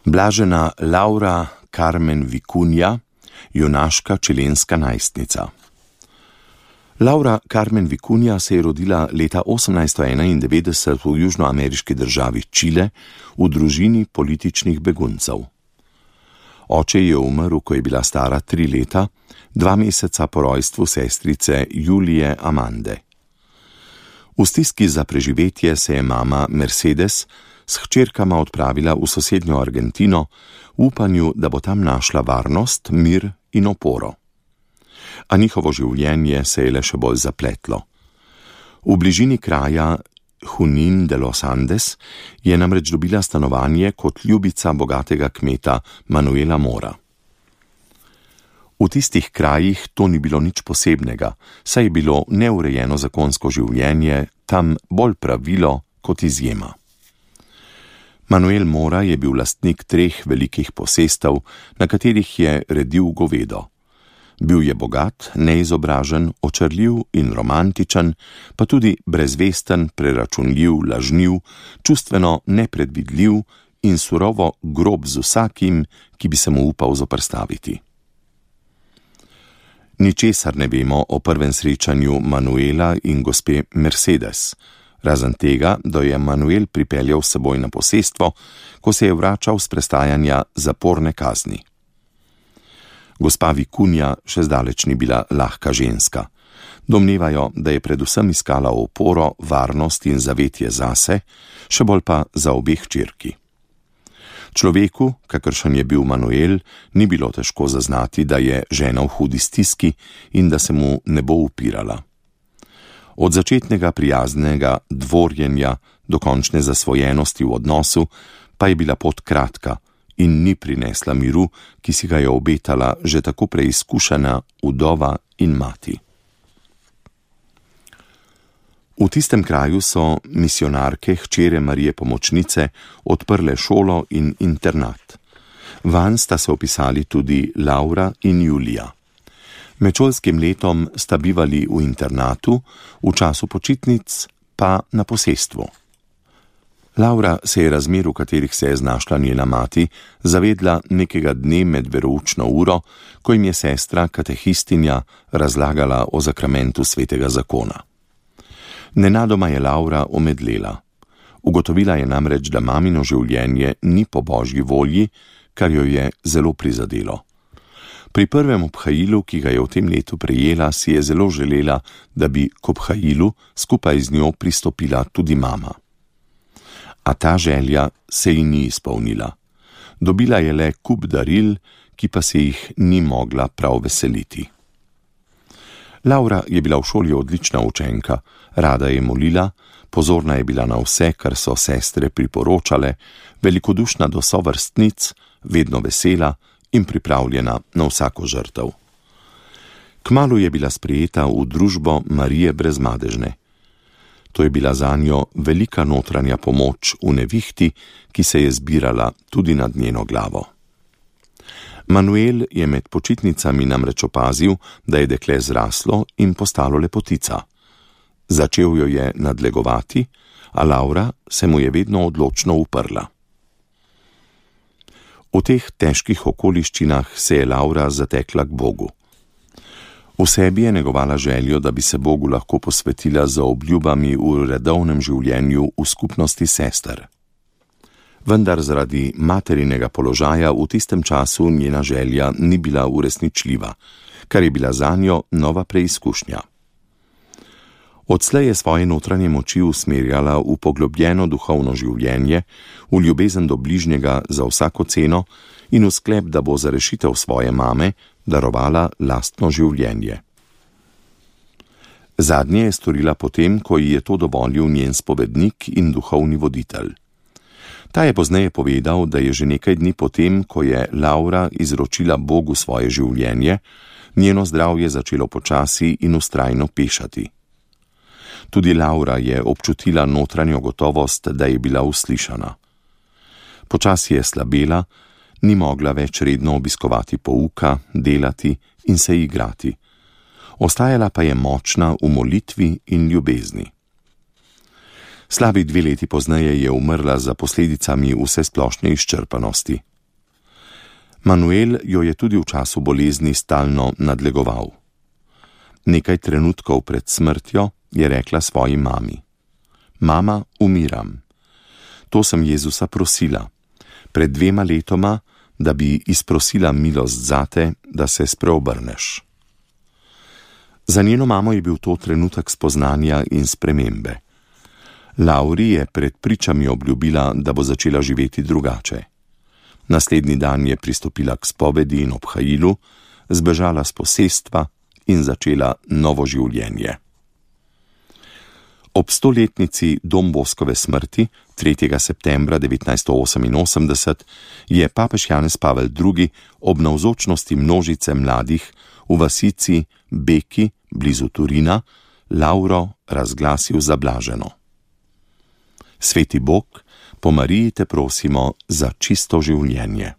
Blažena Laura Carmen Vicuña, junaška čilenska najstnica. Laura Carmen Vicuña se je rodila leta 1891 v južnoameriški državi Čile v družini političnih beguncev. Oče je umrl, ko je bila stara 3 leta, 2 meseca po rojstvu sestrice Julije Amande. V stiski za preživetje se je mama Mercedes s hčerkama odpravila v sosednjo Argentino v upanju, da bo tam našla varnost, mir in oporo. A njihovo življenje se je le še bolj zapletlo. V bližini kraja Junín de los Andes je namreč dobila stanovanje kot ljubica bogatega kmeta Manuela Mora. V tistih krajih to ni bilo nič posebnega, saj je bilo neurejeno zakonsko življenje tam bolj pravilo kot izjema. Manuel Mora je bil lastnik 3 velikih posestev, na katerih je redil govedo. Bil je bogat, neizobražen, očarljiv in romantičen, pa tudi brezvesten, preračunljiv, lažniv, čustveno nepredvidljiv in surovo grob z vsakim, ki bi se mu upal zoperstaviti. Ničesar ne vemo o prvem srečanju Manuela in gospe Mercedes, razen tega, da je Manuel pripeljal s seboj na posestvo, ko se je vračal s prestajanja zaporne kazni. Gospa Vicuña še zdaleč ni bila lahka ženska. Domnevajo, da je predvsem iskala oporo, varnost in zavetje zase, še bolj pa za obe hčerki. Človeku, kakršen je bil Manuel, ni bilo težko zaznati, da je žena v hudi stiski in da se mu ne bo upirala. Od začetnega prijaznega dvorjenja do končne zasvojenosti v odnosu pa je bila pot kratka in ni prinesla miru, ki si ga je obetala že tako preizkušena vdova in mati. V tistem kraju so misionarke hčere Marije Pomočnice odprle šolo in internat. Vanj sta se opisali tudi Laura in Julija. Med šolskim letom sta bivali v internatu, v času počitnic pa na posestvu. Laura se je razmer, v katerih se je znašla njena mati, zavedla nekega dne med veroučno uro, ko jim je sestra katehistinja razlagala o zakramentu svetega zakona. Nenadoma je Laura omedlela. Ugotovila je namreč, da mamino življenje ni po božji volji, kar jo je zelo prizadelo. Pri prvem obhajilu, ki ga je v tem letu prejela, si je zelo želela, da bi k obhajilu skupaj z njo pristopila tudi mama. A ta želja se ji ni izpolnila. Dobila je le kup daril, ki pa se jih ni mogla prav veseliti. Laura je bila v šoli odlična učenka, rada je molila, pozorna je bila na vse, kar so sestre priporočale, velikodušna do sovrstnic, vedno vesela in pripravljena na vsako žrtev. Kmalu je bila sprejeta v družbo Marije Brezmadežne. To je bila zanjo velika notranja pomoč v nevihti, ki se je zbirala tudi nad njeno glavo. Manuel je med počitnicami namreč opazil, da je dekle zraslo in postalo lepotica. Začel jo je nadlegovati, a Laura se mu je vedno odločno uprla. V teh težkih okoliščinah se je Laura zatekla k Bogu. V sebi je negovala željo, da bi se Bogu lahko posvetila z obljubami v redovnem življenju v skupnosti sester. Vendar zaradi materinega položaja v tistem času njena želja ni bila uresničljiva, kar je bila zanjo nova preizkušnja. Odslej je svoje notranje moči usmerjala v poglobljeno duhovno življenje, v ljubezen do bližnjega za vsako ceno in v sklep, da bo za rešitev svoje mame darovala lastno življenje. Zadnje je storila potem, ko ji je to dovolil njen spovednik in duhovni voditelj. Ta je pozneje povedal, da je že nekaj dni potem, ko je Laura izročila Bogu svoje življenje, njeno zdravje začelo počasi in vztrajno pešati. Tudi Laura je občutila notranjo gotovost, da je bila uslišana. Počasi je slabela, ni mogla več redno obiskovati pouka, delati in se igrati. Ostajala pa je močna v molitvi in ljubezni. Slabi 2 leti pozneje je umrla za posledicami vsesplošne izčrpanosti. Manuel jo je tudi v času bolezni stalno nadlegoval. Nekaj trenutkov pred smrtjo je rekla svoji mami: Mama, umiram. To sem Jezusa prosila, pred 2 letoma, da bi izprosila milost zate, da se spreobrneš. Za njeno mamo je bil to trenutek spoznanja in spremembe. Lauri je pred pričami obljubila, da bo začela živeti drugače. Naslednji dan je pristopila k spovedi in obhajilu, zbežala s posestva in začela novo življenje. Ob 100-letnici Don Boskove smrti, 3. septembra 1988, je papež Janez Pavel II. Ob navzočnosti množice mladih v vasici Beki blizu Turina Lauro razglasil za blaženo. Sveti Bog, po Mariji te prosimo za čisto življenje.